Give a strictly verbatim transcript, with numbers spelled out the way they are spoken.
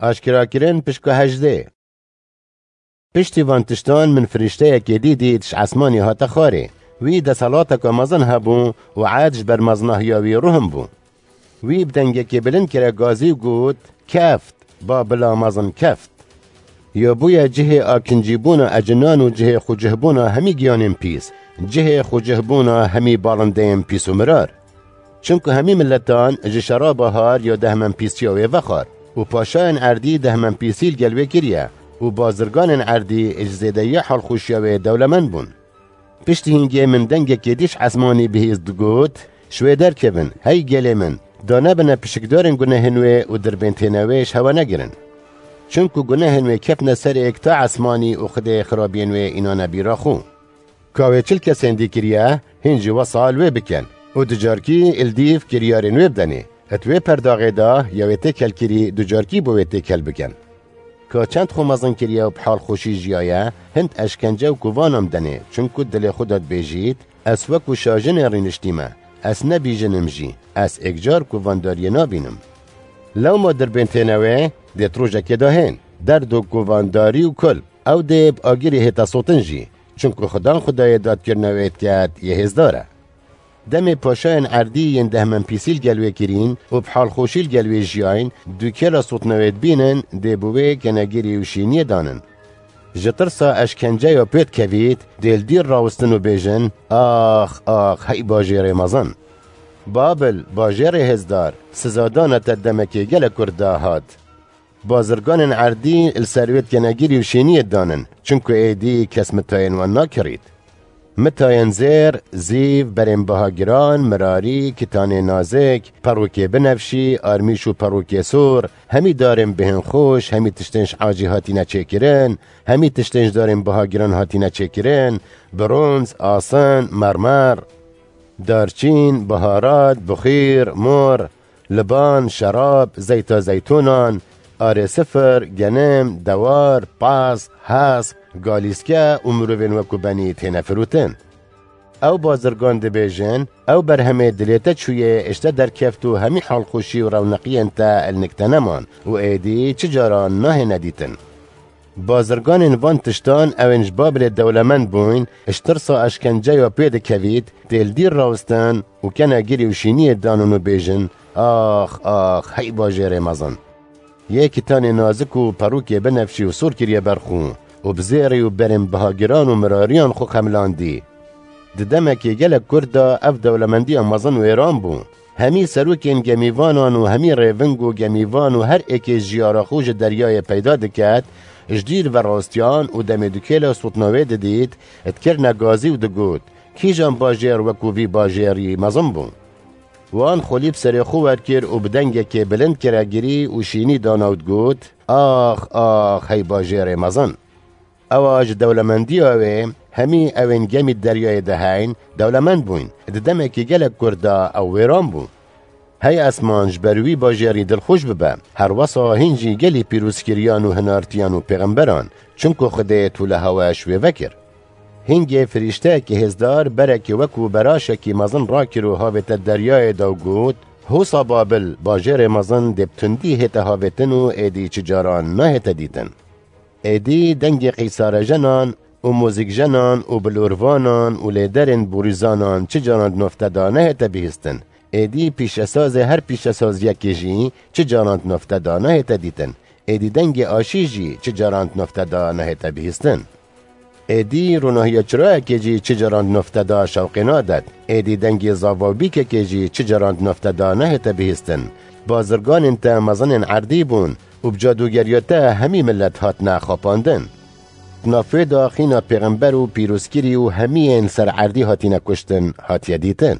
Aşkerakirin pişka hejdê. Piştî van tiştan min firîşteyekê dî dît ji esmanî hate xwarê. Wî deselateke mezin hebû û erd ji ber mezinahiya wî ruhin bû. Wî bi dengekê bilind kire gazî û got, "Keft, Babila mezin keft! Ya bûye cihê akincîbûna ecinan û cihê xwecihbûna hemî giyanên pîs, cihê xwecihbûna hemî balindeyên pîs û mirar. Çimku hemî miletan ji şeraba har ya dehmenpîsiya wê vexwar û paşayên erdî dehmenpîsî li gel wê kiriye û bazirganên erdî ji zêdeyiya halxweşiya wê dewlemend bûn." Piştî hingê min dengekê dî ji esmanî bihîst digot, "Ji wê derkevin, hey gelê min, danebine pişikdarên gunehên wê û dirbêntêne wê ji hewe negirin. Çimku gunehên wê ketine ser êk ta esmanî û Xwedê xirabiyên wê înane bîra xwe. Ka wê çil kesên dî kiriye, hîn jî wesa li wê bikin û ducarkî li dîv kiryarên wê bidenê. Di wê perdaxê de ya wê têkelkirî ducarkî bo wê têkel bikin. Ka çend xwe mezin kiriye û bi halxweşî jiyaye, hind eşkence û kovanan bidenê, çimku dilê xwe de dibêjît, 'Ez wekû şajinê rîniştîme, ez ne bîjin im jî, ez êkcar kovandariyê nabînim.' Lewma dirbêntêne wê dê di rojekê de hên, derd û kovandarî û kul, ew dê bi agirê hête sotin jî, çimku Xudan Xwedayê dadkirina wê diket yê hêzdar e." Demê paşayên erdî yên dehmenpîsî li gel wê kirîn û bi halxweşî li gel wê jiyayîn, dûkêla sotina wê dibînin, dê bi wê kenegirî û şîniyê danin. Ji tirsa eşkenceya pê dikevît, dê li dîr rawistin û bêjin, "Ax, ax, hey bajêrê mezin! Babil, bajêrê hêzdar, sizadana te demekê gelek kurt dahat." Bazirganên erdî li ser wê kenegirî û şîniyê danin, çimku êdî kes mitayên wan nakirît. Mitayên zêr, zîv, berên bihagiran, mirarî, kitanê nazik, perûkê binefşî, armîş û perûkê sor, hemî darên bihên xweş, hemî tiştên ji acî hatine çêkirin, hemî tiştên ji darên bihagiran hatine çêkirin, bronz, asin, mermer, darçîn, biharat, bixîr, mor, liban, şerab, zeyta zeytûnan, arê sifir, genim, dewar, pas, hesp, galîske û mirovên wekû benî têne firotin. Ew bazirgan dibêjin, ew berhemê dilê te çûyê, ji te derkeft û hemî halxweşî û rewneqiyên te li nik te neman û êdî çi caran nahêne dîtin. Bazirganên van tiştan ewên ji Babilê dewlemend bûyn, ji tirsa eşkenceya pê dikevît, tê li dîr rawistin û kenegirî û şîniyê danin û bêjin, "Ax, ax, hey bajêrê mezin! Yê kitanê nazik û perûkê binefşî û sor kiriye ber xwe û bi zêrî û berên bihagiran û mirariyan xwe xemilandî." Di demekê gelek kurt de ev dewlemendiya mezin wêran bû. Hemî serokên gemîvanan û hemî rêving û gemîvan û her êkê jiyara xwe ji deryayê peyda diket, ji dîr verastiyan û demê dûkêla sotina wê didît, dikirine gazî û digot, "Kîjan bajêr wekû vî bajêrî mezin bû?" Wan xwelî bi serê xwe werkir û bi dengekê bilind kiregirî û şînî dana û digot, "Ax, ax, hey bajêrê mezin!" Ewa ji dewlemendiya wê hemî ewên gemî deryayê de heyn, dewlemend bûyn. Di demekî gelek kurt de ew wêran bû. Hey esman, ji ber wî bajêrî dilxweş bibe. Her wesa hîn jî gelî pîrozkiriyan û hinartiyan û pêxemberan, çimku Xwedê tu li hewe ji wê vekir. Hingê firîşteyekî hêzdar berekî wekû beraşekî mezin rakir û havête deryayê de û got, "Hosa Babil, bajêrê mezin dê bi tundî hête havêtin û êdî çi caran nahête dîtin." Êdî dengê qîsarejenan û muzîkjenan û bilorvanan û lêderên borîzanan çi caran di nofte de nehête bihîstin. Êdî pîşesazê her pîşesaziyekê jî çi caran di nofte de nehête dîtin. Êdî dengê aşî jî çi caran di nofte de nehête bihîstin. Êdî ronahiya çirayekê jî çi caran di nofte de şewqê nadet. Êdî dengê zava û bîkekê jî çi caran di nofte de nehête bihîstin. Bazirganên te mezinên erdî bûn û bi cadûgeriya te hemî milet hatine xapandin. Di nav wê de xîna pêxember û pîrozkirî û hemiyên ser erdî hatine kuştin hatiye dîtin.